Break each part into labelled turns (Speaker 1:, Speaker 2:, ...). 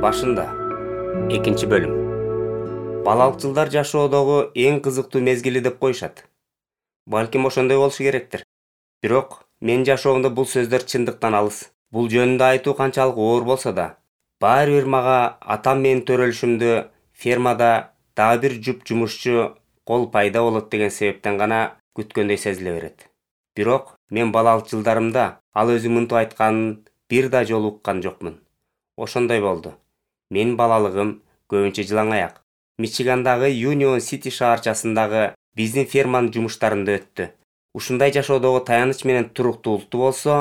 Speaker 1: Башында. Экинчи бөлүм. Балалык жылдар жашоодогу эң кызыктуу мезгили деп коюшат. Балким ошондой болушу керектир. Бирок менин жашоомдо бул сөздөр чындыктан алыс. Бул жөнүндө айтуу канчалык оор болсо да, баары бир мага атам менин төрөлүшүмдө фермада дагы бир жуп жумушчу кол пайда болот деген себептен гана күткөндөй сезиле берет. Бирок мен балалык жылдарымда ал өзү мынтип айтканын бир да жолу уккан жокмун. Ошондой болду. Менин балалыгым көбүнчө жылаң аяк Мичигандагы Юнион Сити шаарчасындагы биздин ферманын жумуштарында өттү. Ушундай жашоодогу таяныч менен туруктуулукту болсо,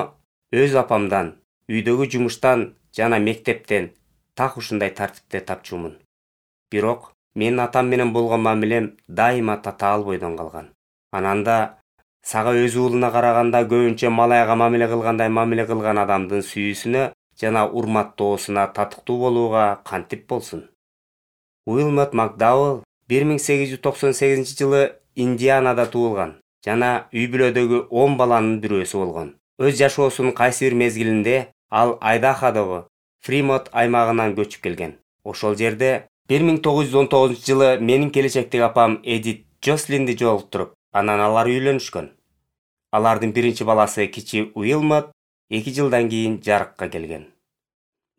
Speaker 1: өз апамдан, үйдөгү жумуштан жана мектептен так ушундай тартипте тапчумун. Бирок менин атам менен болгон мамилем дайыма татаал бойдон калган. Анан да сага өз уулуна караганда көбүнчө малайга мамиле кылган адамдын сүйүүсүнө жана урматтоосуна татыктуу болууга кантип болсун. Уилмот Макдауэлл 1898-жылы Индианада туулган жана үй бүлөдөгү 10 баланын бирөөсү болгон. Өз жашоосунун кайсы бир мезгилинде ал Айдаходогу Фримонт аймагынан көчүп келген. Ошол жерде 1919-жылы менин келечектеги апам Эдит Джослинди жолуктуруп, анан алар үйлөнүшкөн. Алардын биринчи баласы кичи Уилмот 2 жылдан кийин жарыкка келген.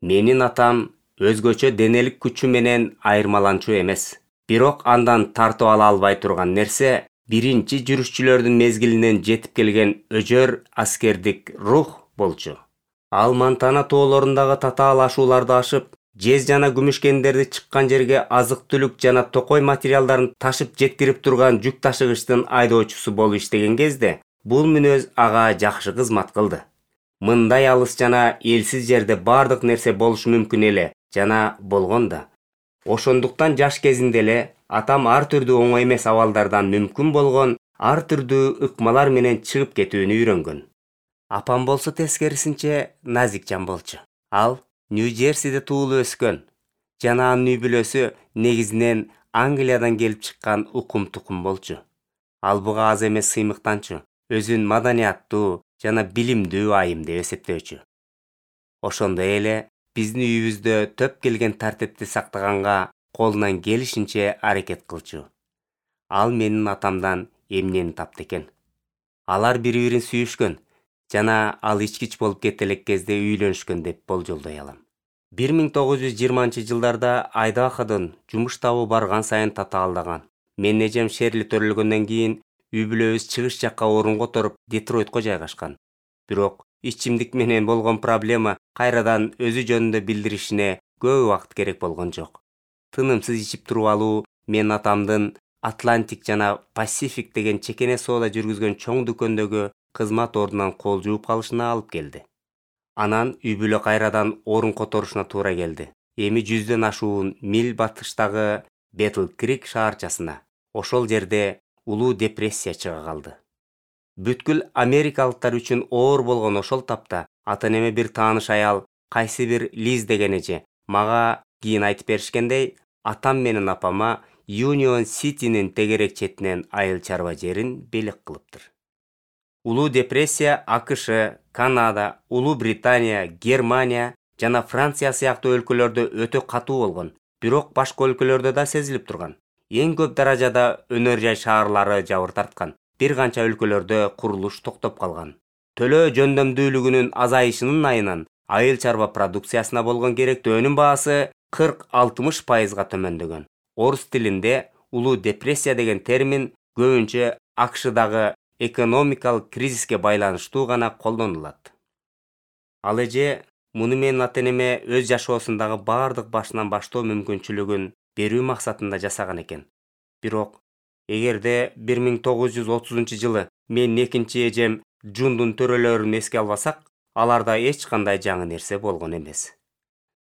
Speaker 1: Менин атам өзгөчө денелик күчү менен айырмаланчу эмес. Бирок андан тартып ала албай турган нерсе биринчи жүрүшчүлөрдүн мезгилинен жетип келген өжөр аскердик рух болчу. Ал Монтана тоолорундагы татаал ашууларды ашып, жез жана күмүш кендерди чыккан жерге азык-түлүк жана токой материалдарын ташып жеткирип турган жүк ташыгычтын айдоочусу болуп иштеген кезде, бул мүнөз ага жакшы кызмат кылды. Мындай алыс жана элсиз жерде бардык нерсе болушу мүмкүн эле жана болгон да. Ошондуктан жаш кезинде эле атам ар түрдүү оңой эмес абалдардан мүмкүн болгон ар түрдүү ыкмалар менен чыгып кетүүнү үйрөнгөн. Апам болсо тескерисинче назикжан болчу. Ал Нью-Джерсиде туулуп өскөн жана анын үй бүлөсү негизинен Англиядан келип чыккан укум-тукум болчу. Ал буга аз эмес сыймыктанчу, өзүн маданияттуу жана билимдүү айым деп эсептөөчү. Ошондой эле биздин үйүбүздө төп келген тартипти сактаганга колунан келишинче аракет кылчу. Ал менин атамдан эмнени тапты экен. Алар бири-бирин сүйүшкөн жана ал ичкич болуп кете элек кезде үйлөнүшкөн деп болжолдой алам. 1920-жылдарда Айдаходон жумуш табуу барган сайын татаалдаган. Менин эжем Шерли төрөлгөндөн кийин үй бүлөбүз чыгыш жакка орун которуп Детройтко жайгашкан. Бирок ичимдик менен болгон проблема кайрадан өзү жөнүндө билдиришине көп убакыт керек болгон жок. Тынымсыз ичип туруп алуу менин атамдын Атлантик жана Пасифик деген чекене соода жүргүзгөн чоң дүкөндөгү кызмат ордунан кол жууп калышына алып келди. Анан үй бүлө кайрадан орун которушуна туура келди. Эми 100дөн ашуун миль батыштагы Бетл Крик шаарчасына. Ошол жерде улуу депрессия чыга калды. Бүткүл америкалыктар үчүн оор болгон ошол тапта ата-энеме бир тааныш аял, кайсы бир Лиз деген эже мага кийин айтып беришкендей, атам менен апама Юнион Ситинин тегерек четинен айыл чарба жерин белек кылыптыр. Улуу депрессия АКШ, Канада, Улуу Британия, Германия жана Франция сыяктуу өлкөлөрдө өтө катуу болгон, бирок башка өлкөлөрдө да сезилип турган. Эң көп даражада өнөр жай шаарлары жабыр тарткан. Бир канча өлкөлөрдө курулуш токтоп калган. Төлөө жөндөмдүүлүгүнүн азайышынын айынан айыл чарба продукциясына болгон керектүү өнүм баасы 40-60% төмөндөгөн. Орус тилинде улуу депрессия деген термин көбүнчө АКШдагы экономикалык кризиске байланыштуу гана колдонулат. Ал эже муну менин ата-энеме өз жашоосундагы бардык башынан баштоо мүмкүнчүлүгүн берүү максатында жасаган экен. Бирок эгерде 1930-жылы менин экинчи эжем Джундун төрөлөрүн эске албасак, аларда эч кандай жаңы нерсе болгон эмес.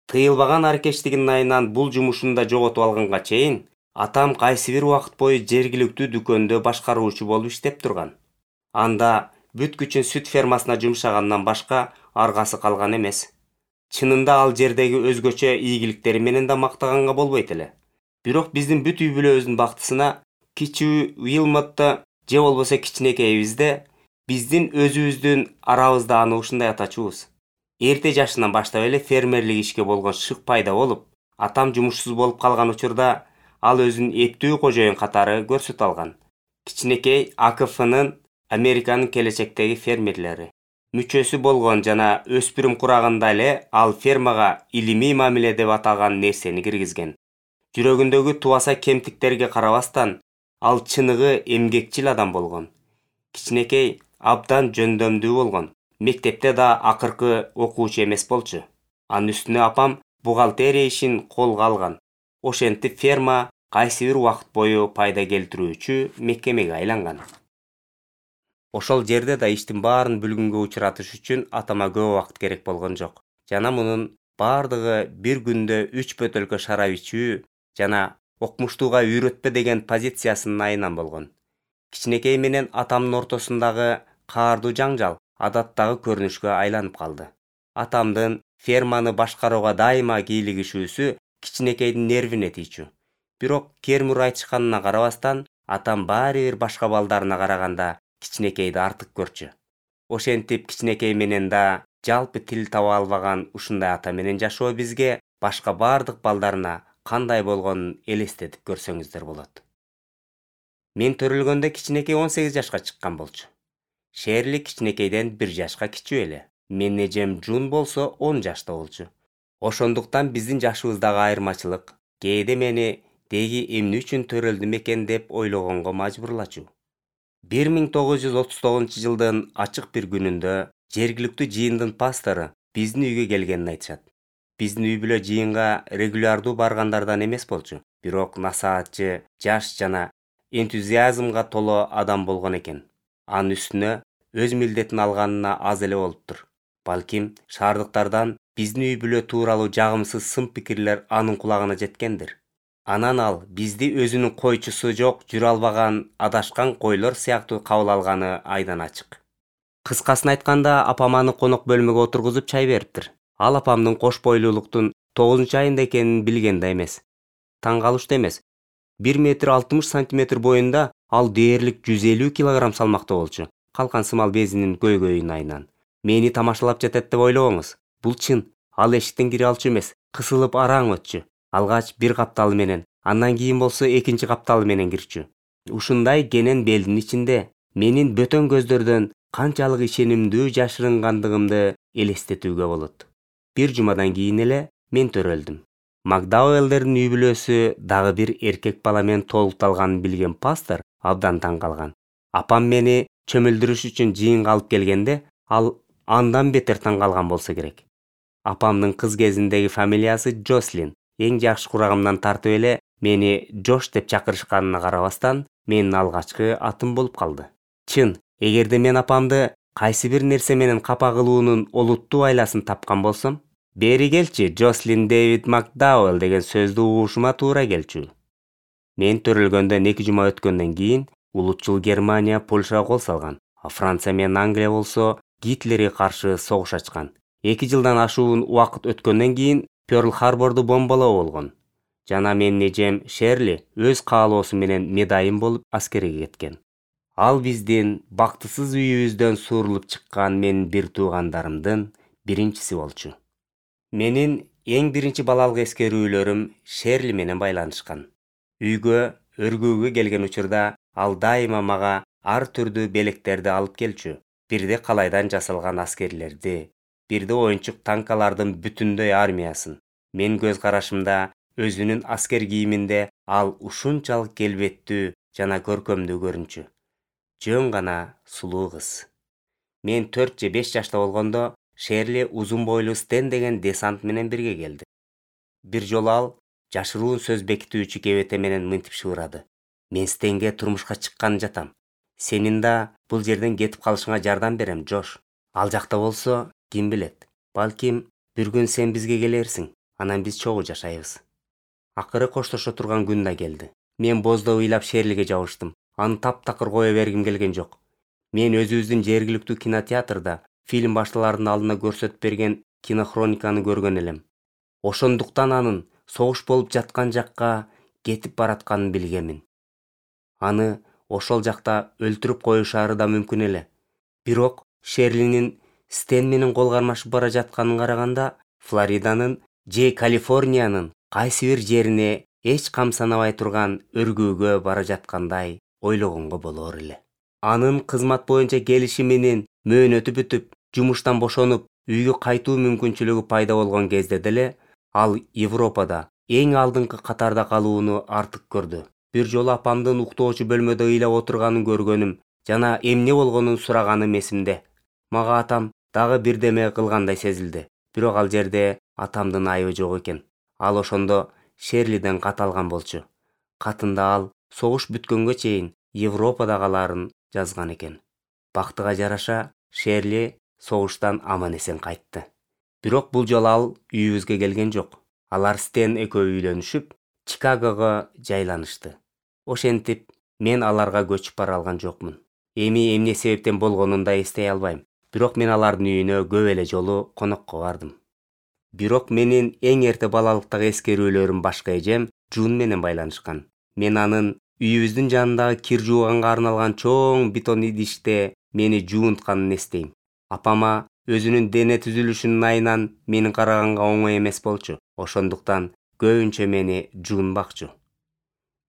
Speaker 1: Тыйылбаган аракечтигинин айынан бул жумушун да жоготуп алганга чейин, атам кайсы бир убакыт бою жергиликтүү дүкөндө башкаруучу болуп иштеп турган. Анда бүт күчүн сүт фермасына жумшагандан башка аргасы калган эмес. Чынында ал жердеги өзгөчө ийгиликтери менен да мактаганга болбойт эле. Бирок биздин бүт үй бүлөбүздүн бактысына кичи Уилмотто же болбосо кичинекейибизде биздин өзүбүздүн арабызда аны ушундай атачубуз. Эрте жашынан баштап эле фермерлик ишке болгон шык пайда болуп, атам жумушсуз болуп калган учурда ал өзүн эптүү кожоюн катары көрсөтө алган. Кичинекей АКФнын Американын келечектеги фермерлери мүчөсү болгон жана өспүрүм курагында эле ал фермага илимий мамиле деп аталган нерсени киргизген. Жүрөгүндөгү тубаса кемтиктерге карабастан, ал чыныгы эмгекчил адам болгон. Кичинекей абдан жөндөмдүү болгон. Мектепте да акыркы окуучу эмес болчу. Анын үстүнө апам бухгалтерия ишин колго алган. Ошентип ферма кайсы бир убакыт бою пайда келтирүүчү мекемеге айланган. Ошол жерде да иштин баарын бүлгүнгө учуратыш үчүн атама көп убакыт керек болгон жок. Жана мунун бардыгы бир күндө 3 бөтөлкө шарап ичүү жана окмуштууга үйрөтпө деген позициясынын айынан болгон. Кичинекей менен атамдын ортосундагы каардуу жаңжал адаттагы көрүнүшкө айланып калды. Атамдын ферманы башкарууга дайыма кийлигишүүсү кичинекейдин нервине тийчү. Бирок кермур айтышканына карабастан, атам баары бир башка балдарына караганда кичинекейди артык көрчү. Ошентип кичинекей менен да жалпы тил таба албаган ушундай ата менен жашоо бизге башка бардык балдарына кандай болгонун элестетип көрсөңүздөр болот. Мен төрөлгөндө кичинекей 18 жашка чыккан болчу. Шерли кичинекейден 1 жашка кичүү эле. Менин эжем Джун болсо 10 жашта болчу. Ошондуктан биздин жашыбыздагы айырмачылык кээде мени деги эмне үчүн төрөлдүм экен деп ойлогонго мажбурлачу. 1939-жылдын ачык бир күнүндө жергиликтүү жыйындын пастору биздин үйгө келгенин айтышат. Биздин үй бүлө жыйынга регулярдуу баргандардан эмес болчу, бирок насаатчы, жаш жана энтузиазмга толо адам болгон экен. Анын үстүнө өз милдетин алганына аз эле болуптур. Балким шаардыктардан биздин үй бүлө тууралуу жагымсыз сын пикирлер анын кулагына жеткендир. Анан ал бизди өзүнүн койчусу жок, жүрө албаган, адашкан койлор сыяктуу кабыл алганы айдан ачык. Кыскасын айтканда, апам аны конок бөлмөгө отургузуп чай бериптир. Ал апамдын кош бойлуулуктун 9-айында экенин билген да эмес. Таң калыштуу эмес. 1,60 метр боюнда ал дээрлик 150 килограмм салмакта болчу. Калкан сымал безинин көйгөйүн айынан. Мени тамашалап жатат деп ойлобоңуз. Бул чын. Ал эшиктен кире алчу эмес, кысылып араң өтчү. Алгач бир капталы менен, андан кийин болсо экинчи капталы менен кирчү. Ушундай кенен белдин ичинде менин бөтөн көздөрдөн канчалык ишенимдүү жашырынгандыгымды элестетүүгө болот. Бир жумадан кийин эле мен төрөлдүм. Макдауэллдердин үй бүлөсү дагы бир эркек бала менен толукталганын билген пастор абдан таң калган. Апам мени чөмүлдүрүш үчүн жыйынга алып келгенде, ал андан бетер таң калган болсо керек. Апамдын кыз кезиндеги фамилиясы Джослин. Эң жакшы курагымдан тартып эле мени Жош деп чакырышканына карабастан, менин алгачкы атым болуп калды. Чын, эгерде мен апамды кайсы бир нерсе менен капа кылуунун олуттуу айласын тапкан болсом, бери келчи, Джослин Дэвид Макдауэлл деген сөздү угушума туура келчү. Мен төрөлгөндөн 2 жума өткөндөн кийин улутчул Германия Польшага кол салган, а Франция менен Англия болсо Гитлерге каршы согуш ачкан. 2 жылдан ашуун убакыт өткөндөн кийин Пёрл-Харборду бомбалоо болгон. Жана менин эжем Шерли өз каалоосу менен медайым болуп аскерге кеткен. Ал биздин бактысыз үйүбүздөн суурулуп чыккан менин бир туугандарымдын биринчиси болчу. Менин эң биринчи балалык эскерүүлөрүм Шерли менен байланышкан. Үйгө өргүүгө келген учурда ал дайыма мага ар түрдүү белектерди алып келчү. Бирде калайдан жасалган аскерлерди, бирде оюнчук танкалардын бүтүндөй армиясын. Мен көз карашымда өзүнүн аскер кийиминде ал ушунчалык келбеттүү жана көркөмдүү көрүнчү. Жөн гана сулуу кыз. Мен 4 же 5 жашта болгондо Шерли узун бойлуу Стен деген десант менен бирге келди. Бир жолу ал жашыруун сөз бекитүүчү кебете менен мынтип шуурады. Мен Стенге турмушка чыккан жатам. Сенин да бул жерден кетип калышыңа жардам берем, Жош. Ал жакта болсо, ким билет? Балким бир күн сен бизге келерсиң, анан биз чогуу жашайбыз. Акыры коштошо турган күн да келди. Мен боздоп ыйлап Шерлиге жабыштым. Аны таптакыр кое бергим келген жок. Мен өзүбүздүн жергиликтүү кинотеатрда фильм башталардын алдына көрсөтүп берген кинохрониканы көргөн элем. Ошондуктан анын согуш болуп жаткан жакка кетип баратканын билгемин. Аны ошол жакта өлтүрүп коюшары да мүмкүн эле. Бирок Шерлинин Стен менен кол кармашып бара жатканын караганда, Флориданын же Калифорниянын кайсы бир жерине эч камсанабай турган өргүүгө бара жаткандай ойлогонго болор эле. Анын кызмат боюнча келиши менен мөөнөтү бүтүп, жумуштан бошонуп, үйгө кайтуу мүмкүнчүлүгү пайда болгон кезде деле ал Европада эң алдыңкы катарда калууну артык көрдү. Бир жолу апамдын уктоочу бөлмөдө ыйлап отурганын көргөнүм жана эмне болгонун сураганым эсимде. Мага атам дагы бирдеме кылгандай сезилди. Бирок ал жерде атамдын айыбы жок экен. Ал ошондо Шерлиден кат алган болчу. Катында ал согуш бүткөнгө чейин Европада калаарын жазган экен. Бактыга жараша, Шерли согуштан аман эсен кайтты. Бирок бул жолу ал үйүбүзгө келген жок. Алар Стен экөө үйлөнүшүп, Чикагого жайланышты. Ошентип, мен аларга көчүп бара алган жокмун. Эми эмне себептен болгонун да эстей албайм. Бирок мен алардын үйүнө көп эле жолу конокко бардым. Бирок менин эң эрте балалыктагы эскерүүлөрүм башка эжем Джун менен байланышкан. Мен анын үйүбүздүн жанындагы кир жууганга арналган чоң бетон идиште мени жуунтканын эстейм. Апама өзүнүн дене түзүлүшүнүн айынан менин караганга оңой эмес болчу. Ошондуктан көбүнчө мени Джун бакчу.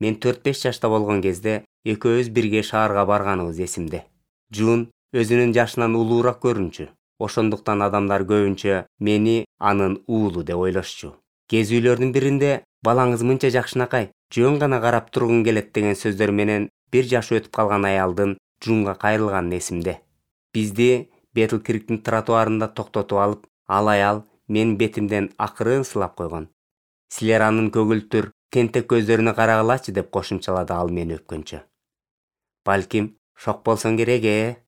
Speaker 1: Мен 4-5 жашта болгон кезде экөөбүз бирге шаарга барганыбыз эсимде. Джун өзүнүн жашынан улуураак көрүнчү. Ошондуктан адамдар көбүнчө мени анын уулу деп ойлошчу. Кезүүлөрдүн биринде балаңыз мынча жакшынакай, жөн гана карап тургун келет деген сөздөр менен 1 жашы өтүп калган аялдын Джунга кайрылганы эсимде. Бизди Бетлкриктин тротуарында токтотуп алып, ал аял менин бетимден акырын сылап койгон. Силер анын көгүлтүр, тентек көздөрүнө карагылачы деп кошумчалады ал мени өпкөнчө. Балким шок болсоң керек,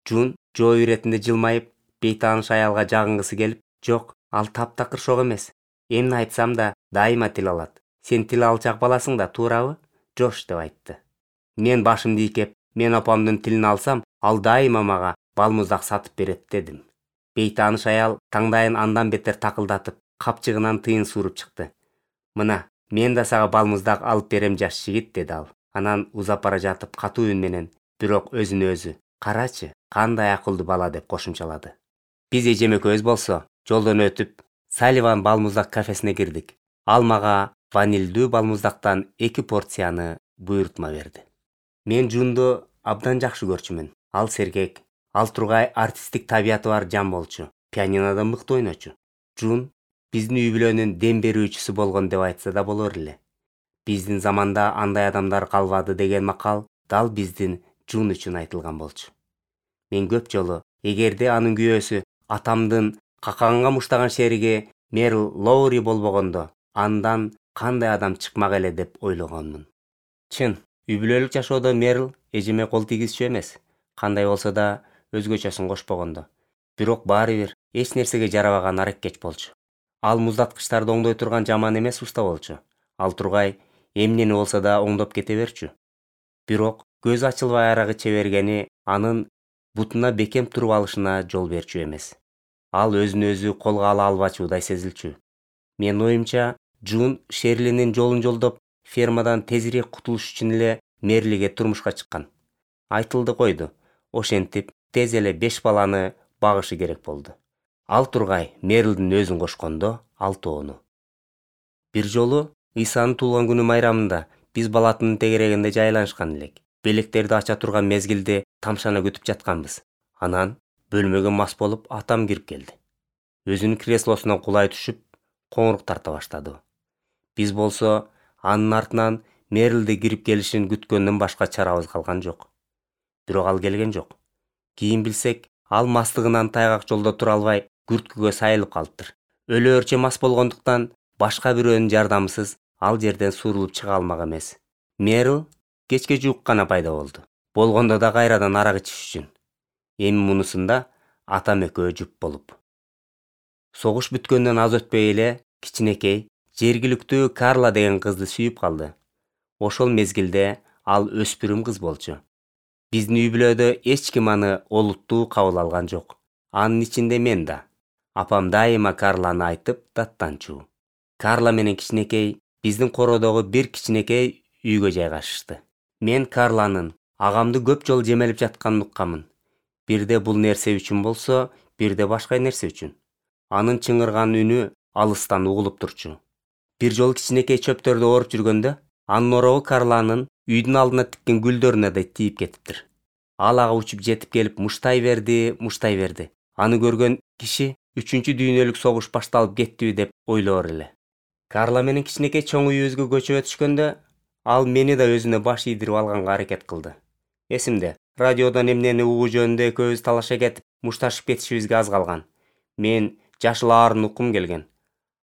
Speaker 1: Джун жоо иретинде жылмайып, бейтааныш аялга жагынгысы келип, жок, ал таптакыр шок эмес. Эмне айтсам да дайыма тил алат. Сен тил алчак баласың да, туурабы? Жош деп айтты. Мен башымды ийкеп, мен апамдын тилин алсам, ал дайыма мага балмуздак сатып берет дедим. Бейтааныш аял таңдайын андан бетер такылдатып, капчыгынан тыйын сууруп чыкты. Мына, мен да сага балмуздак алып берем жаш жигит, деди ал. Анан узап бара жатып катуу үн менен, бирок өзүнө өзү, карачы, кандай акылдуу бала деп кошумчалады. Биз эжем экөөбүз болсо, жолдон өтүп, Салливан балмуздак кафесине кирдик. Ал мага ванилдүү балмуздактан 2 порцияны буйрутма берди. Мен Джунду абдан жакшы көрчүмүн. Ал сергек, ал тургай артисттик табияты бар жан болчу. Пианинода мыкты ойночу. Джун биздин үй бүлөнүн дем берүүчүсү болгон деп айтса да болор эле. Биздин заманда андай адамдар калбады деген макал дал биздин Джун үчүн айтылган болчу. Мен көп жолу, эгерде анын күйөөсү атамдын какаганга муштаган шериги Мерил Лоури болбогондо, андан кандай адам чыкмак эле деп ойлогонмун. Чын, үй бүлөлүк жашоодо Мерил эжеме кол тийгизчү эмес. Кандай болсо да өзгөчөсүн кошпогондо. Бирок баары бир эч нерсеге жарабаган араккеч болчу. Ал муздаткычтарды оңдой турган жаман эмес уста болчу. Ал тургай эмнени болсо да оңдоп кете берчү. Бирок көз ачылбай арагы чебергени анын бутуна бекем туруп алышына жол берчү эмес. Ал өзүн өзү колго ала албачудай сезилчү. Мен оюмча, Джун Шерлинин жолун жолдоп, фермадан тезирээк кутулуш үчүн эле Мерлиге турмушка чыккан. Айтылды койду. Ошентип, тез эле 5 баланы багышы керек болду. Ал тургай Мерлдин өзүн кошкондо 6-ону. Бир жолу Исанын туулган күнү майрамында биз балатынын тегерегинде жайланышкан элек. Белектерди ача турган мезгилде тамшана күтүп жатканбыз. Анан бөлмөгө мас болуп атам кирип келди. Өзүнүн креслосунан кулай түшүп, коңурук тарта баштады. Биз болсо анын артынан Мерлди кирип келишин күткөндөн башка чарабыз калган жок. Бирок ал келген жок. Кийин билсек, ал мастыгынан тайгак жолдо тура албай, күрткүгө сайылып калыптыр. Өлөөрчө мас болгондуктан башка бирөөнүн жардамысыз ал жерден суурулуп чыга алмак эмес. Мерил кечке жуук гана пайда болду. Болгондо да кайрадан арак ичиш үчүн. Эми мунусунда атам экөө жуп болуп. Согуш бүткөндөн аз өтпөй эле кичинекей, жергиликтүү Карла деген кызды сүйүп калды. Ошол мезгилде ал өспүрүм кыз болчу. Биздин үй бүлөдө эч ким аны олуттуу кабыл алган жок. Анын ичинде мен да. Апам дайыма Карланы айтып даттанчу. Карла менен кичинекей биздин короодогу бир кичинекей үйгө жайгашышты. Мен Карланын агамды көп жолу жемелип жатканын уккамын. Бирде бул нерсе үчүн болсо, бирде башка нерсе үчүн. Анын чыңырган үнү алыстан угулуп турчу. Бир жолу кичинекей чөптөрдү ооруп жүргөндө, анын оробу Карланын үйдүн алдына тиккен гүлдөрүнө да тийип кетиптир. Ал ага учуп жетип келип муштай берди. Аны көргөн киши 3-дүйнөлүк согуш башталып кеттиби деп ойлоор эле. Карла менен кичинекей чоң үйүбүзгө көчүп өтүшкөндө, ал мени да өзүнө баш ийдирип алганга аракет кылды. Эсимде, радиодон эмнени угуу жөнүндө экөөбүз талаша кетип, мушташып кетишибизге аз калган. Мен жашыл аарын уккум келген.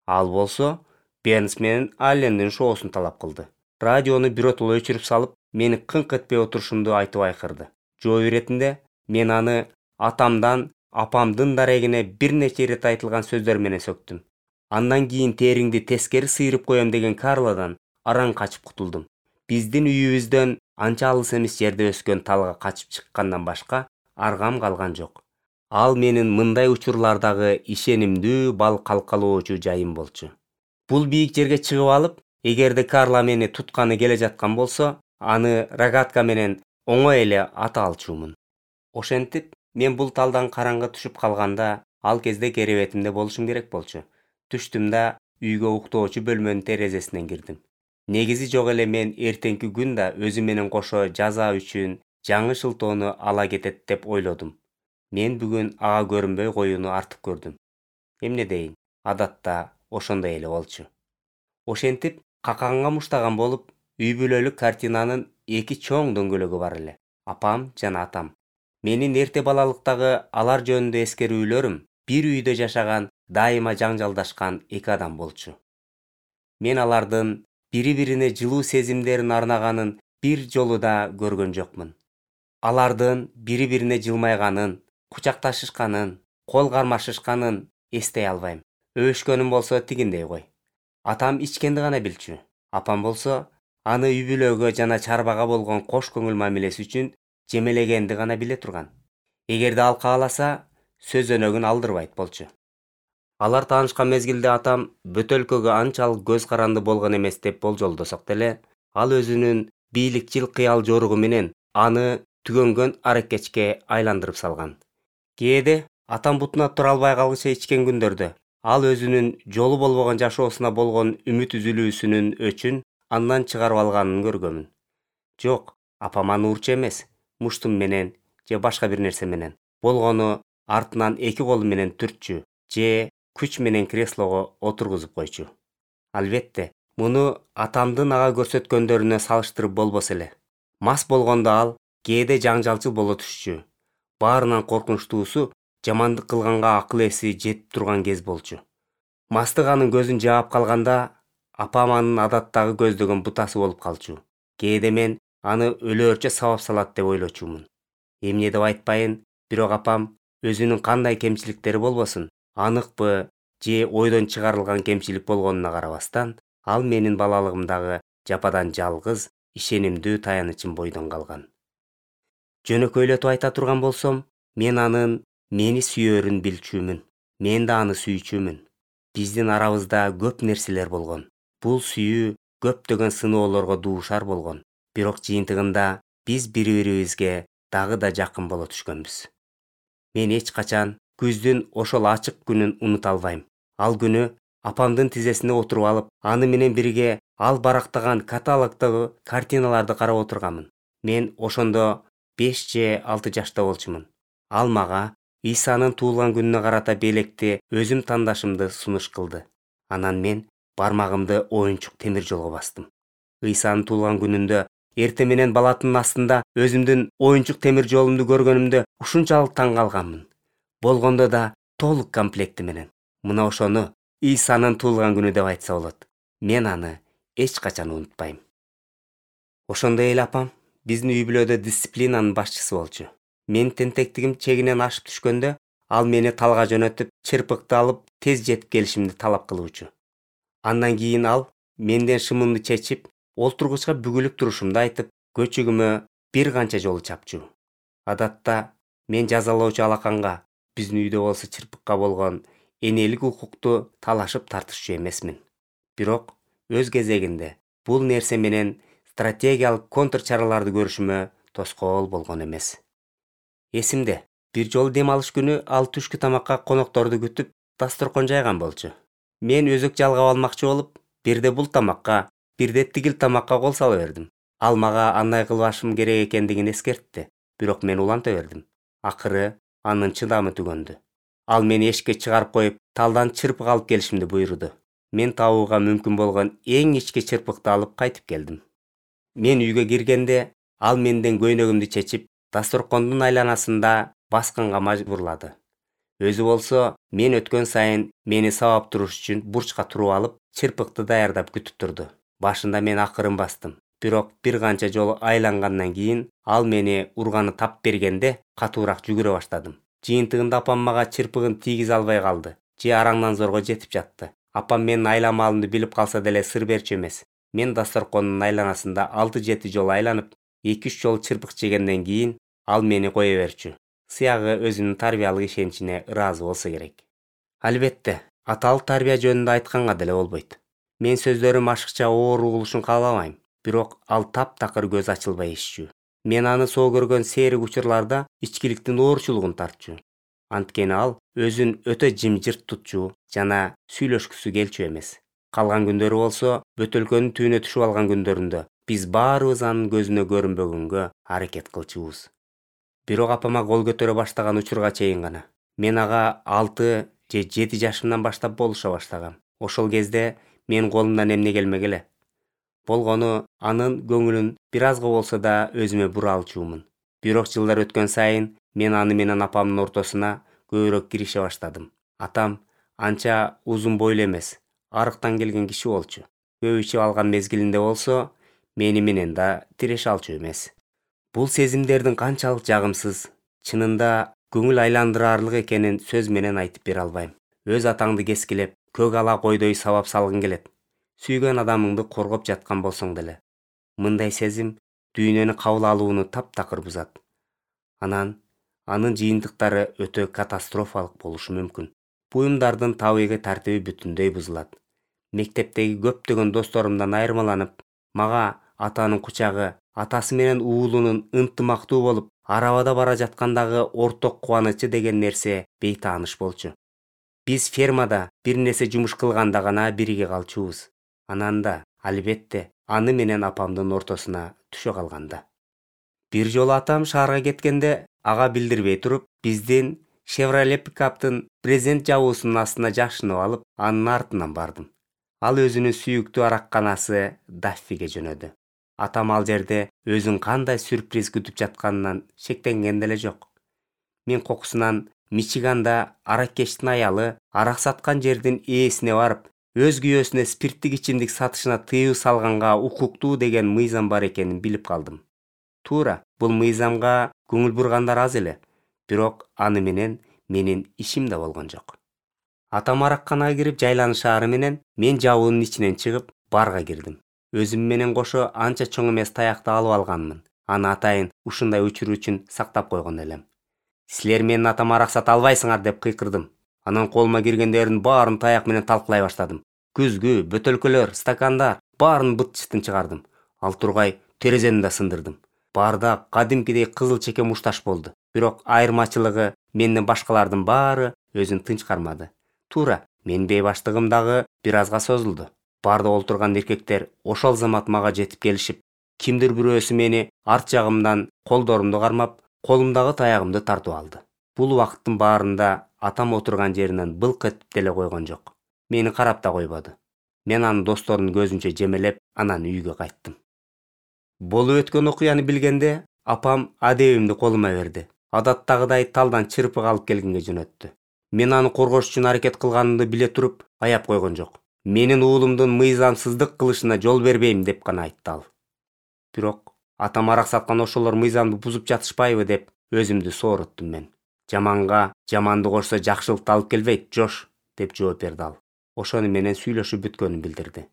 Speaker 1: Ал болсо Бернс менен Аллендин шоусун талап кылды. Радиону биротоло өчүрүп салып, мени кыңк этпей отурушумду айтып айкырды. Жооп иретинде мен аны атамдан апамдын дарегине бир нече ирет айтылган сөздөр менен сөктүм. Андан кийин териңди тескери сыйрып коем деген Карладан араң качып кутулдум. Биздин үйүбүздөн анча алыс эмес жерде өскөн талга качып чыккандан башка аргам калган жок. Ал менин мындай учурлардагы ишенимдүү бал калкалоочу жайым болчу. Бул бийик жерге чыгып алып, эгерде Карла мени тутканы келе жаткан болсо, аны рогатка менен оңой эле ата алчумун. Ошентип, мен бул талдан караңгы түшүп калганда, ал кезде керебетимде болушум керек болчу. Түштүм да үйгө уктоочу бөлмөнүн терезесинен кирдим. Негизи жок эле мен эртеңки күн да өзү менен кошо жаза үчүн жаңы шылтоону ала кетет деп ойлодум. Мен бүгүн ага көрүнбөй коюуну артык көрдүм. Эмне дейин, адатта ошондой эле болчу. Ошентип, каканга муштаган болуп, үй бүлөлүк картинанын 2 чоң дөңгөлөгү бар эле. Апам жана атам. Менин эрте балалыктагы алар жөнүндө эскерүүлөрүм бир үйдө жашаган, дайыма жаңжалдашкан 2 адам болчу. Мен алардын бири-бирине жылуу сезимдерин арнаганын бир жолу да көргөн жокмун. Алардын бири-бирине жылмайганын, кучакташышканын, кол кармашышканын эстей албайм. Өбүшкөнүм болсо тигиндей кой. Атам ичкенди гана билчү. Апам болсо аны үй бүлөгө жана чарбага болгон кош көңүл мамилеси үчүн жемелегенди гана биле турган. Эгерде ал кааласа, сөз өнөгүн алдырбайт болчу. Алар таанышкан мезгилде атам бөтөлкөгө анчалык көз каранды болгон эмес деп болжолдосок деле, ал өзүнүн бийликчил кыял жоругу менен аны түгөнгөн аракечке айландырып салган. Кээде атам бутуна тура албай калгыча ичкен күндөрдө ал өзүнүн жолу болбогон жашоосуна болгон үмүт үзүлүүсүнүн өчүн андан чыгарып алганын көргөмүн. Жок, апам аны урчу эмес, муштум менен же башка бир нерсе менен болгону артынан 2 колу менен түртчү же күч менен креслого отургузуп койчу. Албетте, муну атамдын ага көрсөткөндөрүнө салыштырып болбос эле. Мас болгондо ал кээде жаңжалчыл боло түшчү. Баарынан коркунучтуусу жамандык кылганга акыл эси жетип турган кез болчу. Мастык анын көзүн жаап калганда, апам анын адаттагы көздөгөн бутасы болуп калчу. Кээде мен аны өлөөрчө сабап салат деп ойлочумун. Эмне деп айтпайын, бирок апам өзүнүн кандай кемчиликтери болбосун, аныкпы же ойдон чыгарылган кемчилик болгонуна карабастан, ал менин балалыгымдагы жападан жалгыз, ишенимдүү таянычым бойдон калган. Жөнөкөйлөтүп айта турган болсом, мен анын мени сүйөөрүн билчүмүн. Мен да аны сүйчүмүн. Биздин арабызда көп нерселер болгон. Бул сүйүү көптөгөн сыноолорго дуушар болгон. Бирок жыйынтыгында биз бири-бирибизге дагы да жакын боло түшкөнбүз. Мен эч качан күздүн ошол ачык күнүн унута албайм. Ал күнү апамдын тизесине отуруп алып, аны менен бирге ал барактаган каталогдогу картиналарды карап отурганмын. Мен ошондо 5 же 6 жашта болчумун. Ал мага Исанын туулган күнүнө карата белекти өзүм тандашымды сунуш кылды. Анан мен бармагымды оюнчук темир жолго бастым. Исанын туулган күнүндө эрте менен балаттын астында өзүмдүн оюнчук темир жолумду көргөнүмдө ушунчалык таң калганмын. Болгондо да толук комплекти менен. Мына ошону Исанын туулган күнү деп айтса болот. Мен аны эч качан унутпайм. Ошондой эле апам биздин үй бүлөдө дисциплинанын башчысы болчу. Мен тентектигим чегинен ашып түшкөндө, ал мени талга жөнөтүп, чырпыкты алып, тез жетип келишимди талап кылуучу. Андан кийин ал менден шымымды чечип, олтургучка бүгүлүп турушумду айтып, көчүгүмө бир канча жолу чапчу. Адатта мен жазалоочу алаканга, биздин үйдө болсо чырпыкка болгон энелик укукту талашып тартышчу эмесмин. Бирок өз кезегинде бул нерсе менен стратегиялык контр чараларды көрүшүмө тоскоол болгон эмес. Эсимде, Бир жолу дем алыш күнү ал түшкү тамакка конокторду күтүп дасторкон жайган болчу. Мен өзөк жалгап алмакчы болуп, бирде бул тамакка, бирде тигил тамакка кол сала бердим. Ал мага андай кылбашым керек экендигин эскертти, бирок мен уланта бердим. Акыры анын чыдамы түгөндү. Ал мени эшикке чыгарып коюп, талдан чырпык алып келишимди буйруду. Мен табууга мүмкүн болгон эң ички чырпыкты алып кайтып келдим. Мен үйгө киргенде ал менден көйнөгүмдү чечип, дасторкондун айланасында басканга мажбурлады. Өзү болсо, мен өткөн сайын мени сабап туруш үчүн бурчка туруп алып, чырпыкты даярдап күтүп турду. Башында мен акырын бастым. Бирок бир канча жолу айлангандан кийин ал мени урганы тап бергенде катуураак жүгүрө баштадым. Жыйынтыгында апам мага чырпыгын тийгизе албай калды. Же араңдан зорго жетип жатты. Апам менин айламалымды билип калса деле сыр берчү эмес. Мен дасторкондун айланасында 6-7 жолу айланып, 2-3 жолу чырпык жегенден кийин ал мени кое берчү. Сыягы өзүнүн тарбиялык ишеничине ыраазы болсо керек. Албетте, аталык тарбия жөнүндө айтканга деле болбойт. Мен сөздөрүм ашыкча оор угулушун каалабайм, бирок ал таптакыр көз ачылбай ишчү. Мен аны соо көргөн сейрик учурларда ичкиликтин оорчулугун тартчу. Анткени ал өзүн өтө жымжырт тутчу жана сүйлөшкүсү келчү эмес. Калган күндөрү болсо, бөтөлкөнүн түбүнө түшүп алган күндөрүндө биз баарыбыз анын көзүнө көрүнбөгөнгө аракет кылчубуз. Бирок апама кол көтөрө баштаган учурга чейин гана. Мен ага 6 же 7 жашымдан баштап болуша баштагам. Ошол кезде менин колумдан эмне келмек эле. Болгону анын көңүлүн бир азга болсо да өзүмө бура алчумун. Бирок жылдар өткөн сайын мен аны менен апамдын ортосуна көбүрөөк кирише баштадым. Атам анча узун бойлуу эмес, арыктан келген киши болчу. Көп ичип алган мезгилинде болсо, мени менен да тиреше алчу эмес. Бул сезимдердин канчалык жагымсыз, чынында көңүл айландырарлык экенин сөз менен айтып бере албайм. Өз атаңды кескилеп, көк ала койдой сабап салгың келет. Сүйгөн адамыңды коргоп жаткан болсоң деле. Мындай сезим дүйнөнү кабыл алууну таптакыр бузат. Анан анын жыйынтыктары өтө катастрофалык болушу мүмкүн. Буюмдардын табигый тартиби бүтүндөй бузулат. Мектептеги көптөгөн досторумдан айырмаланып, мага атанын кучагы, атасы менен уулунун ынтымактуу болуп, арабада бара жаткандагы орток кубанычы деген нерсе бейтааныш болчу. Биз фермада бир нерсе жумуш кылганда гана бирге калчубуз. Анан да, албетте, аны менен апамдын ортосуна түшө калганда. Бир жолу атам шаарга кеткенде, ага билдирбей туруп, биздин Chevrolet пикаптын брезент жабуусунун астына жашынып алып, анын артынан бардым. Ал өзүнүн сүйүктүү аракканасы Даффиге жөнөдү. Атам ал жерде өзүн кандай сюрприз күтүп жатканынан шектенген деле жок. Мен кокусунан Мичиганда араккечтин аялы арак саткан жердин ээсине барып, өз күйөөсүнө спирттик ичимдик сатышына тыюу салганга укуктуу деген мыйзам бар экенин билип калдым. Туура, бул мыйзамга көңүл бургандар аз эле, бирок аны менен менин ишим да болгон жок. Атам аракканага кирип жайланышаары менен мен жабуунун ичинен чыгып, барга кирдим. Өзүм менен кошо анча чоң эмес таякты алып алганмын. Аны атайын ушундай учур үчүн сактап койгон элем. Силер менин атама арак сата албайсыңар деп кыйкырдым. Анан колума киргендердин баарын таяк менен талкалай баштадым. Күзгү, бөтөлкөлөр, стакандар баарын быт-чытын чыгардым. Ал тургай терезени да сындырдым. Баарда кадимкидей кызыл чеке мушташ болду. Бирок айырмачылыгы менден башкалардын баары өзүн тынч кармады. Туура, менин бейбаштыгым дагы бир азга созулду. Баарда олтурган эркектер ошол замат мага жетип келишип, кимдир бирөөсү мени арт жагымдан колдорумду кармап, колумдагы таягымды тартып алды. Бул убакыттын баарында атам отурган жеринен былк этип деле койгон жок. Мени карап да койбоду. Мен аны досторунун көзүнчө жемелеп, анан үйгө кайттым. Болуп өткөн окуяны билгенде, апам адебимди колума берди. Адаттагыдай талдан чырпык алып келгенге жөнөттү. Мен аны коргош үчүн аракет кылганымды биле туруп, аяп койгон жок. Менин уулумдун мыйзамсыздык кылышына жол бербейм деп гана айтты ал. Бирок атам арак саткан ошолор мыйзамды бузуп жатышпайбы деп өзүмдү сооруттум мен. Жаманга жаманды кошсо жакшылыкты алып келбейт, Жош, деп жооп берди ал. Ошону менен сүйлөшүп бүткөнүн билдирди.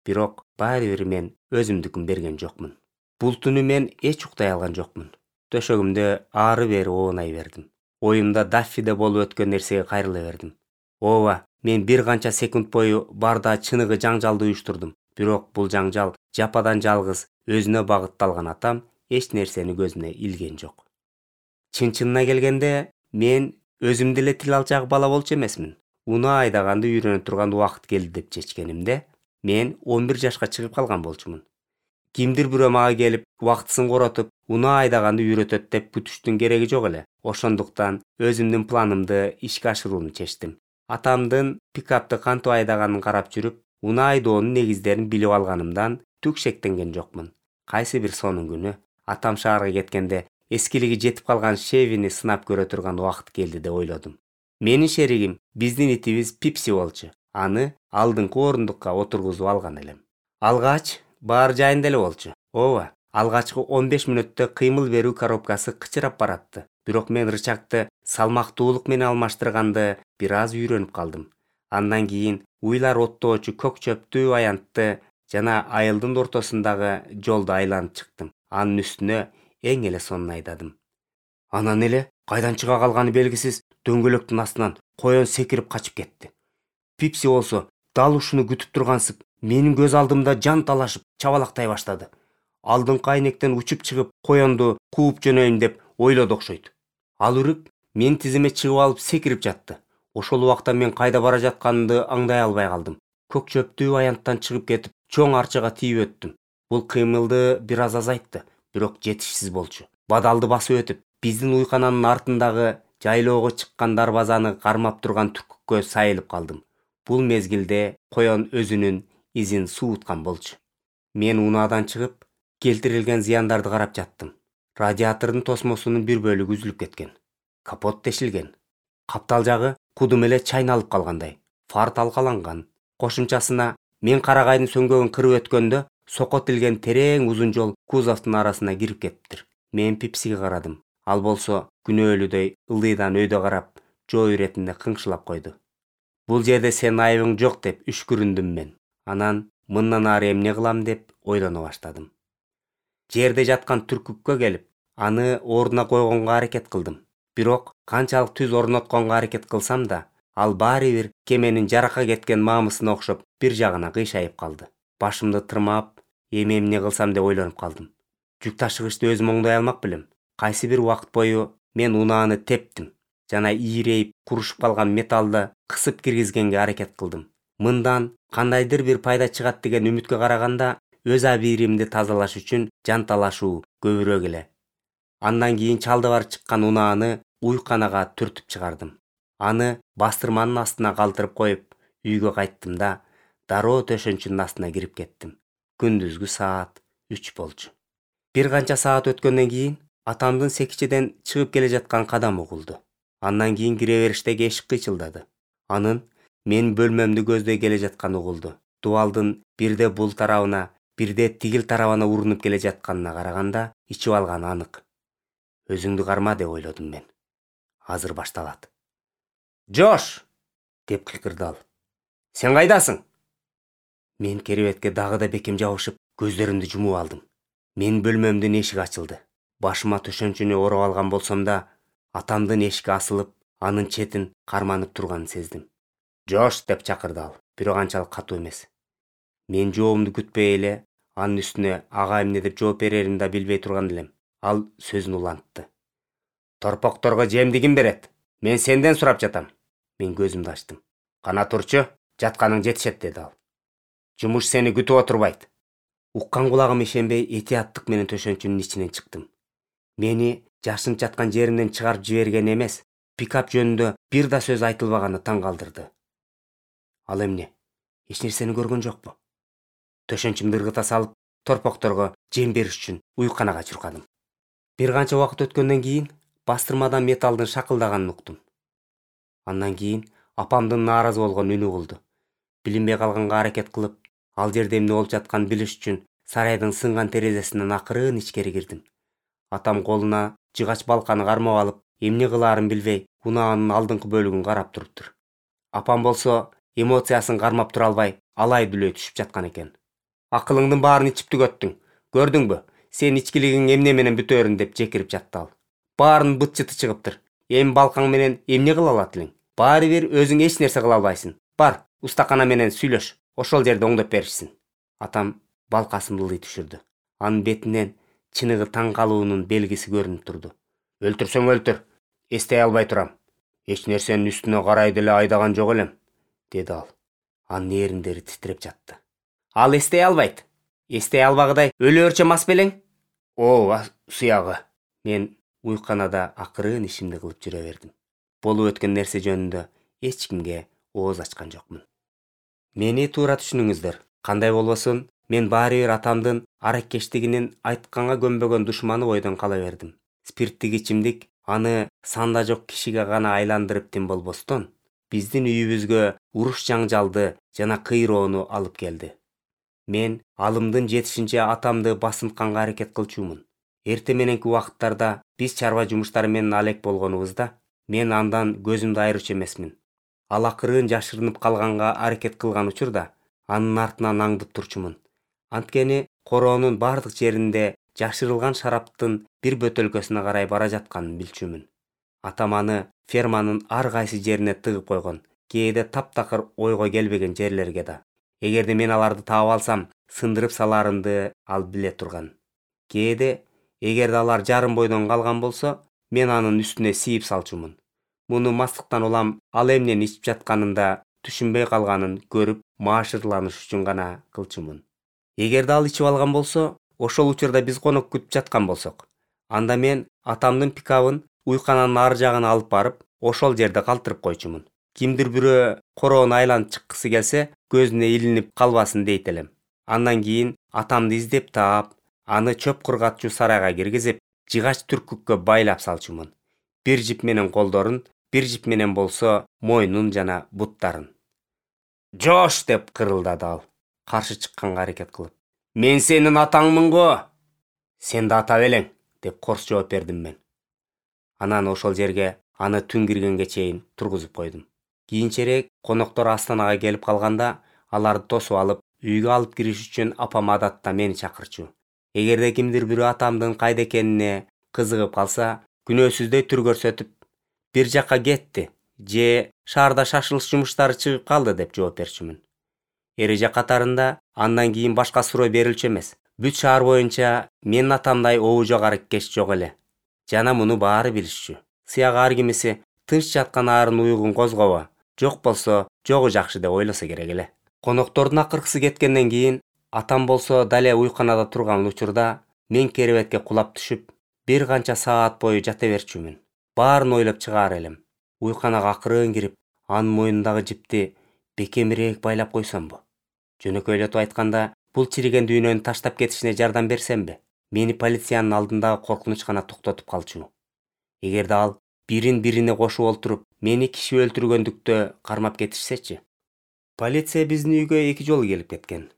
Speaker 1: Бирок баары бир мен өзүмдүкүн берген жокмун. Бул түнү мен эч уктай алган жокмун. Төшөгүмдө ары-бери оонай бердим. Оюмда Даффиде болуп өткөн нерсеге кайрыла бердим. Ооба, мен бир канча секунд бою баарда чыныгы жаңжалды уюштурдум. Бирок бул жаңжал жападан жалгыз өзүнө багытталган атам эч нерсени көзүнө илген жок. Чын-чынына келгенде мен өзүм деле тил алчак бала болчу эмесмин. Унаа айдаганды үйрөнө турган убакыт келди деп чечкенимде мен 11 жашка чыгып калган болчумун. Кимдир бирөө мага келип, убактысын коротуп, унаа айдаганды үйрөтөт деп күтүштүн кереги жок эле. Ошондуктан өзүмдүн планымды ишке ашырууну чечтим. Атамдын пикапты кантип айдаганын карап жүрүп, унаа айдоонун негиздерин билип алганымдан түк шектенген жокмун. Кайсы бир сонун күнү атам шаарга кеткенде эскилиги жетип калган Chevy'ни сынап көрө турган убакыт келди деп ойлодум. Менин шеригим биздин итибиз Пипси болчу. Аны алдыңкы орундукка отургузуп алган элем. Алгач баары жайында эле болчу. Ооба, алгачкы 15 мүнөттө кыймыл берүү коробкасы кычырап баратты. Бирок мен рычагты салмактуулук менен алмаштырганды бир аз үйрөнүп калдым. Андан кийин уйлар оттоочу көк чөптүү аянтты жана айылдын ортосундагы жолду айланып чыктым. Анын үстүнө эң эле сонун айдадым. Анан эле кайдан чыга калганы белгисиз дөңгөлөктүн астынан коен секирип качып кетти. Пипси болсо дал ушуну күтүп тургансып, менин көз алдымда жан талашып чабалактай баштады. Алдыңкы айнектен учуп чыгып, коенду кууп жөнөйүн деп ойлоду окшойт. Ал үрүп мен тизиме чыгып алып секирип жатты. Ошол убакта мен кайда бара жатканымды аңдай албай калдым. Көк чөптүү аянттан чыгып кетип, чоң арчага тийип өттүм. Бул кыймылды бир аз азайтты, бирок жетишсиз болчу. Бадалды басып өтүп, биздин уйкананын артындагы жайлоого чыккан дарбазаны кармап турган түркүккө сайылып калдым. Бул мезгилде коен өзүнүн изин сууткан болчу. Мен унаадан чыгып, келтирилген зыяндарды карап жаттым. Радиатордун тосмосунун бир бөлүгү үзүлүп кеткен. Капот тешилген. Каптал жагы кудум эле чайналып калгандай. Фар талкаланган. Кошумчасына мен карагайдын сөңгөгүн кырып өткөндө сокко тилген терең узун жол кузовдун арасына кирип кетиптир. Мен Пипсиге карадым. Ал болсо күнөөлүдөй ылдыйдан өйдө карап, жоо иретинде кыңшылап койду. Бул жерде сенин айыбың жок деп үшкүрүндүм мен. Анан мындан ары эмне кылам деп ойлоно баштадым. Жерде жаткан түркүккө келип, аны ордуна койгонго аракет кылдым. Бирок канчалык түз орнотконго аракет кылсам да, ал баары бир кеменин жаракка кеткен маамысына окшоп бир жагына кыйшайып калды. Башымды тырмап, эмне кылсам деп ойлонуп калдым. Жүк ташыгычты өзүм оңдой алмак белем. Кайсы бир убакыт бою мен унааны тептим жана ийрейип курушуп калган металлды кысып киргизгенге аракет кылдым. Мындан кандайдыр бир пайда чыгат деген үмүткө караганда өз абийиримди тазалаш үчүн жан талашуу көбүрөөк эле. Андан кийин чалды бар чыккан унааны уйканага түртүп чыгардым. Аны бастырманын астына калтырып коюп, үйгө кайттым да дароо төшөнчүнүн астына кирип кеттим. Күндүзгү саат 3 болчу. Бир канча саат өткөндөн кийин атамдын секичеден чыгып келе жаткан кадамы угулду. Андан кийин кире бериштеги эшик кыйчылдады. Анын мен бөлмөмдү көздөй келе жатканы угулду. Дубалдын бирде бул тарабына, бирде тигил тарабына урунуп келе жатканына караганда ичип алганы анык. Өзүңдү карма деп ойлодум мен. Азыр башталат. Жош! Деп кыйкырды ал. Сен кайдасың? Мен керебетке дагы да бекем жабышып, көздөрүмдү жумуп алдым. Мен бөлмөмдүн эшиги ачылды. Башыма төшөнчүнү ороп алган болсом да, атамдын эшикке асылып, анын четин карманып турганын сездим. Жош деп чакырды ал, бирок анчалык катуу эмес. Мен жообумду күтпөй эле, анын үстүнө ага эмне деп жооп береримди да билбей турган элем. Ал сөзүн улантты. Торпокторго жемди ким берет? Мен сенден сурап жатам. Мен көзүмдү ачтым. Кана турчу, жатканың жетишет деди ал. Жумуш сени күтүп отурбайт. Уккан кулагым ишенбей этияттык менен төшөнчүнүн ичинен чыктым. Мени жашынып жаткан жеримден чыгарып жиберген эмес, пикап жөнүндө бир да сөз айтылбаганы таң калтырды. Ал эмне? Эч нерсени көргөн жокпу? Төшөнчүмдү ыргыта салып, торпокторго жем бериш үчүн уйканага чуркадым. Бир канча убакыт өткөндөн кийин бастырмадан металлдын шакылдаганын уктум. Андан кийин апамдын нааразы болгон үнү угулду. Билинбей калганга аракет кылып, ал жерде эмне болуп жатканын билиш үчүн сарайдын сынган терезесинен акырын ичкери кирдим. Атам колуна жыгач балканы кармап алып, эмне кылаарын билбей, унаанын алдыңкы бөлүгүн карап туруптур. Апам болсо эмоциясын кармап тура албай, алай-дүлөй түшүп жаткан экен. Акылыңдын баарын ичип түгөттүң. Көрдүңбү? Сен ичкилигиң эмне менен бүтөөрүн деп жекирип жатты ал. Баарын быт-чыты чыгыптыр. Эми балкаң менен эмне кыла алат элең? Баары бир өзүң эч нерсе кыла албайсың. Бар, устакана менен сүйлөш. Ошол жерде оңдоп беришсин. Атам балкасын ылдый түшүрдү. Анын бетинен чыныгы таң калуунун белгиси көрүнүп турду. Өлтүрсөң өлтүр. Эстей албай турам. Эч нерсенин үстүнө карай деле айдаган жок элем, деди ал. Анын эриндери титиреп жатты. Ал эстей албайт. Эстей албагыдай өлөөрчө мас белең? Ооба, суягы. Мен уйканада акырын ишимди кылып жүрө бердим. Болуп өткөн нерсе жөнүндө эч кимге ооз ачкан жокмун. Мени туура түшүнүңүздөр. Кандай болбосун, мен баары бир атамдын аракештигинин айтканга көнбөгөн душманы бойдон кала бердим. Спирттик ичимдик аны санда жок кишиге гана айландырып тим болбостон, биздин үйүбүзгө уруш жаңжалды жана кыйроону алып келди. Мен алымдын жетишинче атамды басынтканга аракет кылчумун. Эрте мененки убакыттарда биз чарба жумуштары менен алек болгонубузда, мен андан көзүмдү айырчу эмесмин. Ал акырын жашырынып калганга аракет кылган учурда, анын артынан аңдып турчумун. Анткени короонун бардык жеринде жашырылган шараптын бир бөтөлкөсүнө карай бара жатканын билчүмүн. Атам аны ферманын ар кайсы жерине тыгып койгон, кээде таптакыр ойго келбеген жерлерге да. Эгерде мен аларды таап алсам, сындырып салаарымды ал биле турган. Кээде, эгерде алар жарым бойдон калган болсо, мен анын үстүнө сийип салчумун. Муну мастыктан улам ал эмнени ичип жатканын да түшүнбөй калганын көрүп, маашырланыш үчүн гана кылчумун. Эгерде ал ичип алган болсо, ошол учурда биз конок күтүп жаткан болсок, анда мен атамдын пикабын уйкананын ар жагына алып барып, ошол жерде калтырып койчумун. Кимдир бирөө короону айланып чыккысы келсе, көзүнө илинип калбасын дейт элем. Андан кийин атамды издеп таап, аны чөп кургатчу сарайга киргизип, жыгач түркүккө байлап салчумун. Бир жип менен колдорун, бир жип менен болсо мойнун жана буттарын. Жош деп кырылдады ал, каршы чыкканга аракет кылып. Мен сенин атаңмын го. Сен да ата белең, деп корс жооп бердим мен. Анан ошол жерге аны түн киргенге чейин тургузуп койдум. Кийинчерээк коноктор астанага келип калганда, аларды тосуп алып, үйгө алып кириш үчүн апам адатта мени чакырчу. Эгерде кимдир бирөө атамдын кайда экенине кызыгып калса, күнөөсүздөй түр көрсөтүп, бир жакка кетти же шаарда шашылыш жумуштары чыгып калды деп жооп берчүмүн. Эреже катарында андан кийин башка суроо берилчү эмес. Бүт шаар боюнча менин атамдай обу жок аракеш жок эле. Жана муну баары билишчү. Сыягы ар кимиси тынч жаткан арын уйгун козгобо, жок болсо жогу жакшы деп ойлосо керек эле. Коноктордун акыркысы кеткенден кийин атам болсо дале уйканада турган учурда мен керебетке кулап түшүп, бир канча саат бою жата берчүмүн. Баарын ойлоп чыгаар элем. Уйканага акырын кирип, анын мойнундагы жипти бекемирээк байлап койсомбу? Жөнөкөйлөтүп айтканда, бул чириген дүйнөнү таштап кетишине жардам берсемби? Мени полициянын алдындагы коркунуч гана токтотуп калчу. Эгерде ал бирин-бирине кошуп олтуруп, мени киши өлтүргөндүктө кармап кетишсечи? Полиция биздин үйгө 2 жолу келип кеткен.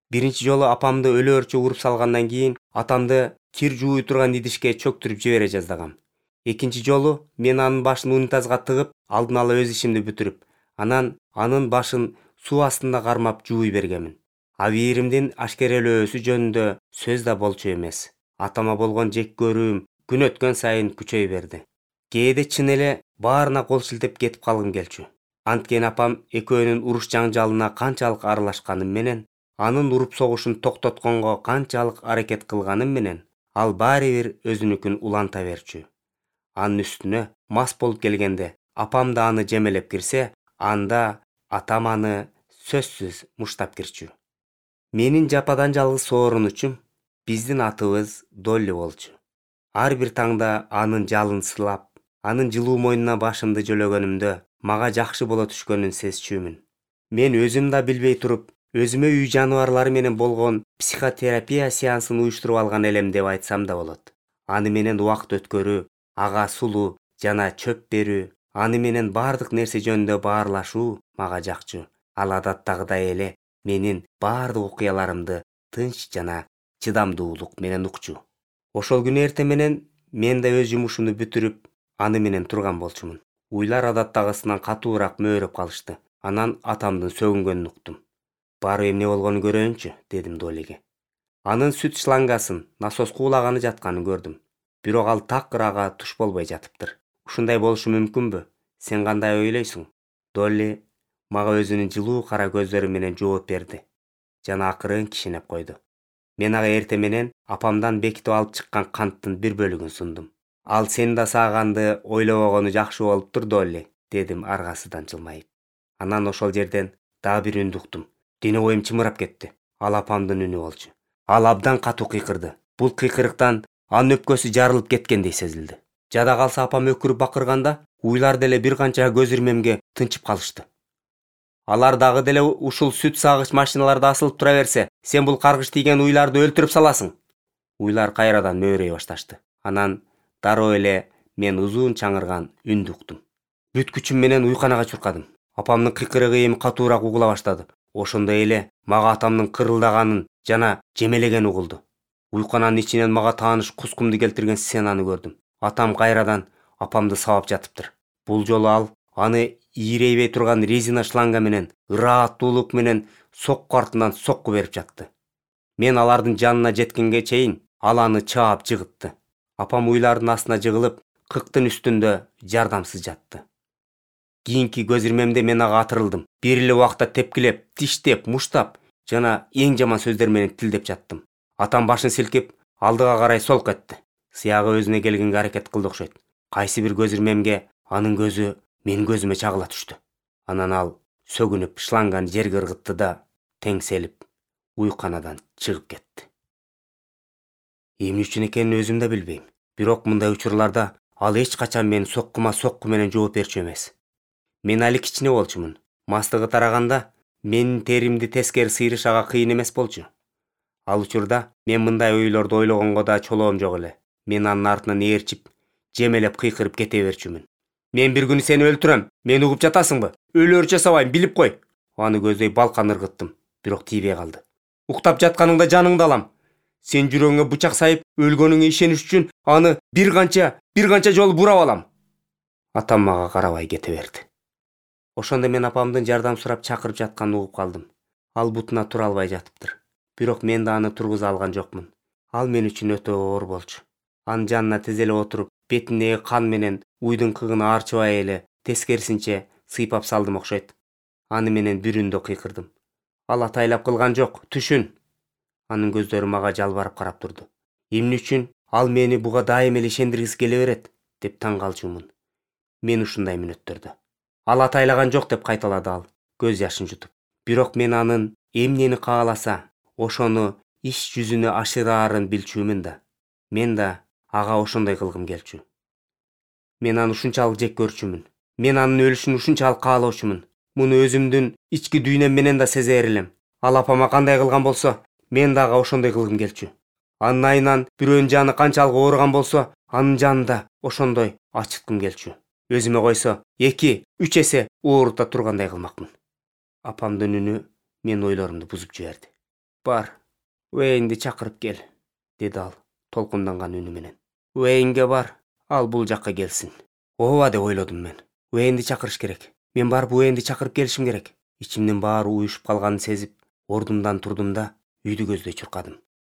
Speaker 1: Биринчи жолу апамды өлөөрчө уруп салгандан кийин атамды кир жууй турган идишке чөктүрүп жибере жаздагам. Экинчи жолу мен анын башын унитазга тыгып, алдын ала өз ишимди бүтүрүп, анан анын башын суу астында кармап жууй бергемин. Абийиримдин ашкерелөөсү жөнүндө сөз да болчу эмес. Атама болгон жек көрүүм күн өткөн сайын күчөй берди. Кээде чын эле баарына кол шилтеп кетип калгым келчү. Анткени апам экөөнүн уруш жаңжалына канчалык аралашканым менен, анын уруп согушун токтотконго канчалык аракет кылганым менен, ал баары бир өзүнүкүн уланта берчү. Анын үстүнө мас болуп келгенде, апам да аны жемелеп кирсе, анда атам аны сөзсүз муштап кирчү. Менин жападан жалгыз соорунучум биздин атыбыз Долли болчу. Ар бир таңда анын жалын сылап, анын жылуу мойнуна башымды жөлөгөнүмдө мага жакшы боло түшкөнүн сезчүмүн. Мен өзүм да билбей туруп, өзүмө үй жаныбарлары менен болгон психотерапия сеансын уюштуруп алган элем деп айтсам да болот. Аны менен убакыт өткөрүү, ага сулуу жана чөп берүү, аны менен бардык нерсе жөнүндө баарлашуу мага жакчу. Ал адаттагыдай эле менин бардык окуяларымды тынч жана чыдамдуулук менен укчу. Ошол күнү эрте менен мен да өз жумушумду бүтүрүп, аны менен турган болчумун. Уйлар адаттагысынан катуураак мөөрөп калышты. Анан атамдын сөгүнгөнүн уктум. Барып эмне болгонун көрөйүнчү, дедим Долиге. Анын сүт шлангасын насос куулаганы жатканын көрдүм. Бирок ал такыр ага туш болбой жатыптыр. Ушундай болушу мүмкүнбү? Сен кандай ойлойсуң? Долли мага өзүнүн жылуу кара көздөрү менен жооп берди жана акырын кишинеп койду. Мен ага эрте менен апамдан бекитип алып чыккан канттын бир бөлүгүн сундум. Ал сен да сааганды ойлобогону жакшы болуп турду эле, дедим аргасыдан жылмайып. Анан ошол жерден дагы бир үндү уктум. Дене боюм чымырап кетти. Ал апамдын үнү болчу. Ал абдан катуу кыйкырды. Бул кыйкырыктан анын өпкөсү жарылып кеткендей сезилди. Жада калса апам өкүрүп бакырганда, уйлар деле бир канча көз ирмемге тынчып калышты. Алар дагы деле ушул сүт сагыч машиналарда асылып тура берсе, сен бул каргыш тийген уйларды өлтүрүп саласың. Уйлар кайрадан мөөрөй башташты. Анан дароо эле мен узун чаңырган үндү уктум. Бүт күчүм менен уйканага чуркадым. Апамдын кыйкырыгы эми катуураак угула баштады. Ошондой эле мага атамдын кырылдаганын жана жемелегени угулду. Уйкананын ичинен мага тааныш кускумду келтирген сценаны көрдүм. Атам кайрадан апамды сабап жатыптыр. Бул жолу ал аны ийрейбей турган резина шланга менен ырааттуулук менен сокку артынан сокку берип жатты. Мен алардын жанына жеткенге чейин ал аны чаап жыгытты. Апам уйлардын астына жыгылып, кыктын үстүндө жардамсыз жатты. Кийинки көз ирмемде мен ага атырылдым. Бир эле убакта тепкилеп, тиштеп, муштап жана эң жаман сөздөр менен тилдеп жаттым. Атам башын силкип, алдыга карай солк этти. Сыягы өзүнө келгенге аракет кылды окшойт. Кайсы бир көз ирмемге анын көзү менин көзүмө чагыла түштү. Анан ал сөгүнүп шланганы жерге ыргытты да теңселип уйканадан чыгып кетти. Эмне үчүн экенин өзүм да билбейм. Бирок мындай учурларда ал эч качан мени соккума сокку менен жооп берчү эмес. Мен али кичине болчумун. Мастыгы тараганда менин теримди тескери сыйрыш ага кыйын эмес болчу. Ал учурда мен мындай ойлорду ойлогонго да чолоом жок эле. Мен анын артынан ээрчип, жемелеп кыйкырып кете берчүмүн. Мен бир күнү сени өлтүрөм. Мени угуп жатасыңбы? Өлөөрчү жасабайм, билип кой. Аны көздөй балкан ыргыттым, бирок тийбей калды. Уктап жатканыңда жаныңды алам. Сен жүрөгүңө бычак сайып, өлгөнүңө ишениш үчүн аны бир канча жолу бурап алам. Атам мага карабай кете берди. Ошондо мен апамдын жардам сурап чакырып жатканын угуп калдым. Ал бутуна тура албай жатыптыр. Бирок мен да аны тургуза алган жокмун. Ал мен үчүн өтө оор болчу. Анын жанына тизелеп отуруп, бетиндеги кан менен уйдун кыгын аарчыбай эле тескерисинче сыйпап салдым окшойт. Аны менен бир үндө кыйкырдым. Ал атайлап кылган жок, түшүн. Анын көздөрү мага жалбарып карап турду. Эмне үчүн ал мени буга дайым эле ишендиргиси келе берет деп таң калчумун. Мен ушундай мүнөттөрдө. Ал атайлаган жок деп кайталады ал, көз жашын жутуп. Бирок мен анын эмнени кааласа, ошону иш жүзүнө ашыраарын билчүмүн да. Мен да ага ошондой кылгым келчү. Мен аны ушунчалык жек көрчүмүн. Мен анын өлүшүн ушунчалык каалоочумун. Муну өзүмдүн ички дүйнөм менен да сезер элем. Ал апама кандай кылган болсо, мен да ага ошондой кылгым келчү. Анын айынан бирөөнүн жаны канчалык ооруган болсо, анын жанын да ошондой ачыткым келчү. Өзүмө койсо, 2-3 эсе оорута тургандай кылмакмын. Апамдын үнү мен ойлорумду бузуп жиберди. Бар, Уэйнди чакырып кел, деди ал толкунданган үнү менен. Уэйнге бар, ал бул жакка келсин. Ооба деп ойлодум мен. Уэйнди чакырыш керек. Мен барып Уэйнди чакырып келишим керек. Ичимдин баары уюшуп калганын сезип, ордумдан турдум да үйдү көздөй чуркадым.